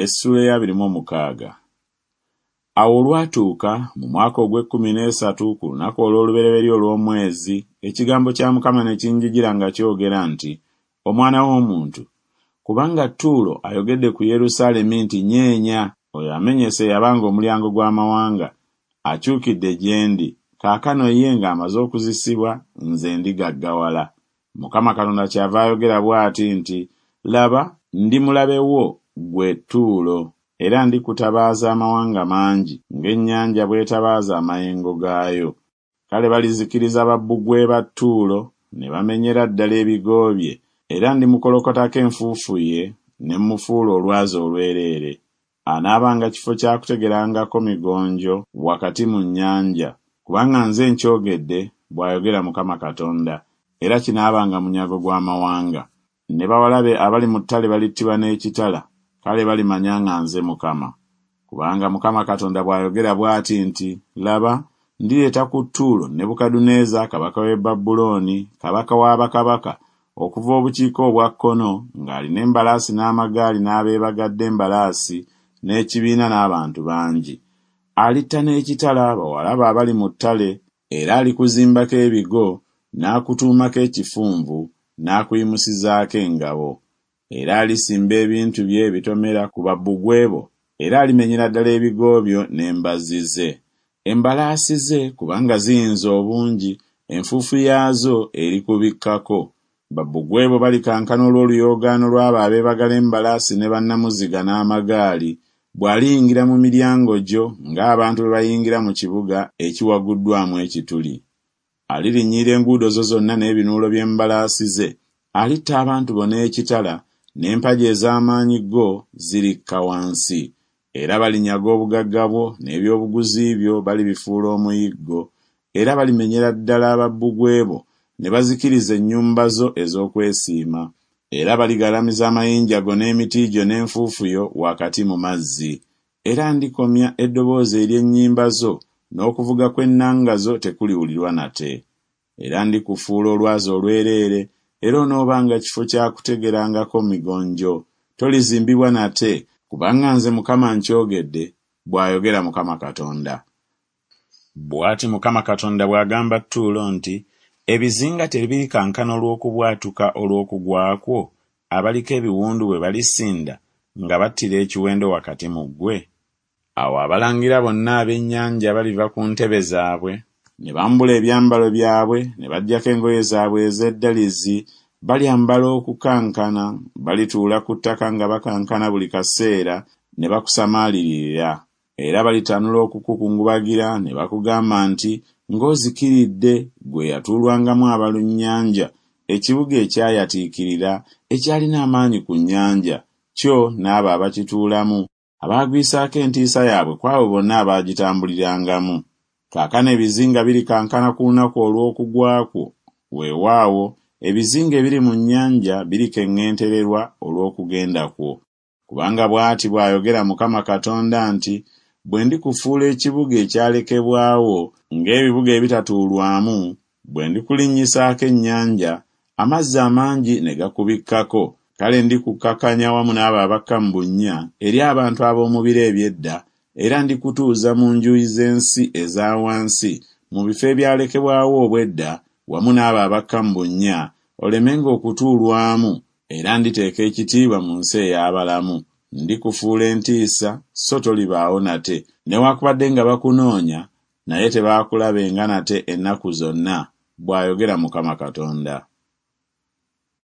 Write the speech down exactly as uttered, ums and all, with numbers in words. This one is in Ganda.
Essuula ey'abiri mu omukaaga. Awo olwatuuka mu mwaka ogw'ekkumi n'esatu ku lunaku olw'olubereberye olw'omwezi, ekigambo kya Mukama ne kinjijira nga kyogera nti, Omwana w'omuntu, kubanga Ttuulo ayogedde ku Yerusaalemi nti, Nyeenya, oyo amenyese eyabanga omulyango gw'amawanga, akyukidde gye ndi, kaakano ye ng'amaze okuzisibwa, nze ndigaggawala. Mukama Katonda kyava ayogera bw'ati nti, Laba, ndi mulabe wo, ggwe Ttuulo, era ndikutabaaza amawanga mangi, ng'ennyanja bw'etabaaza amayengo gaayo. Kale balizikiriza babbugwe ba Ttuulo, ne bamenyera ddala ebigo bye, era ndimukolokotako enfuufu ye, ne mmufuula olwazi olwereere. Anaabanga kifo kya kutegerangako migonjo wakati mu nnyanja, kubanga nze nkyogedde, bw'ayogera Mukama Katonda, era kinaabanga munyago gw'amawanga. Ne bawala be abali mu ttale balittibwa n'ekitala, kale balimanya nga nze Mukama. Kubanga Mukama Katonda bw'ayogera bw'ati nti, Laba, ndireeta ku Ttuulo Nebukadduneeza kabaka w'e Babulooni, kabaka wa bakabaka, okuva obukiika obwa kkono, ng'alina embalaasi n'amagaali n'abeebagadde embalaasi n'ekibiina n'abantu bangi. Alitta n'ekitala bawala be abali mu ttale, era alikuzimbako ebigo, n'akutuumako ekifunvu, n'akuyimusizaako engabo. Era alisimba ebintu bye ebitomera ku babbugwe bo, era alimenyera ddala ebigo byo n'embazzi ze. Embalaasi ze, kubanga ziyinza obungi, enfuufu yaazo erikubikkako. Babbugwe bo balikankana olw'oluyoogaano lw'abo abeebagala embalaasi ne bannamuziga n'amagaali, bw'aliyingira mu miryango gyo ng'abantu bwe bayingira mu kibuga ekiwaguddwamu ekituli. Alirinnyirira enguudo zo zonna n'ebinuulo by'embalaasi ze, alitta abantu bo n'ekitala, n'empagi ez'amaanyi go zirikka wansi. Era balinyaga obugagga bwo, n'ebyobuguzi byo balibifuula omuyiggo, era balimenyera ddala babbugwe bo, ne bazikiriza ennyumba zo ez'okwesiima. Era baligalamiza amayinja go n'emiti gyo n'enfuufu yo wakati mu mazzi. Era ndikomya eddoboozi ery'ennyimba zo, n'okuvuga kw'ennanga zo tekuliwulirwa nate. Era ndikufuula olwazi olwereere, era onoobanga kifo kya kutegerangako migonjo. Tolizimbibwa nate, kubanga nze Mukama nkyogedde, bw'ayogera Mukama Katonda. Bw'ati Mukama Katonda bw'agamba Ttuulo nti, Ebizinga tebirikankana olw'okubwatuka olw'okugwa kwo, abaliko ebiwundu bwe balisinda nga battira ekiwendo wakati mu ggwe? Awo abalangira bonna ab'ennyanja baliva ku ntebe zaabwe, ne bambula ebyambalo byabwe, ne baggyako engoye zaabwe ez'eddalizi, balyambala okukankana, balituula ku ttaka nga bakankana buli kaseera, ne bakusamaalirira. Era balitanula okukukungubagira ne bakugamba nti, Ng'ozikiridde, ggwe eyatuulwangamu abalunnyanja, ekibuga ekyayatiikirira, ekyalina amaanyi ku nnyanja, kyo n'abo abakituulamu, abaagwisaako entiisa yaabwe ku abo bonna abaagitambulirangamu. Kaakano ebizinga birikankana ku lunaku olw'okugwa kwo, weewaawo, ebizinga ebiri mu nnyanja birikeŋŋentererwa olw'okugenda kwo. Kubanga bw'ati bw'ayogera Mukama Katonda nti, Bwe ndikufuula ekibuga ekyalekebwawo, ng'ebibuga ebitatuulwamu, bwe ndikulinnyisaako ennyanja, amazzi amangi ne gakubikkako, kale ndikukkakanya wamu n'abo abakka mu bunnya eri abantu ab'omu biro eby'edda, era ndikutuuza mu njuyi z'ensi eza wansi, mu bifo ebyalekebwawo obw'edda, wamu n'abo abakka mu bunnya, olemenga okutuulwamu, era nditeeka ekitiibwa mu nsi ey'abalamu. Ndikufuula entiisa, so tolibaawo nate, newaakubadde nga bakunoonya, naye tebaakulabenga nate ennaku zonna, bw'ayogera Mukama Katonda.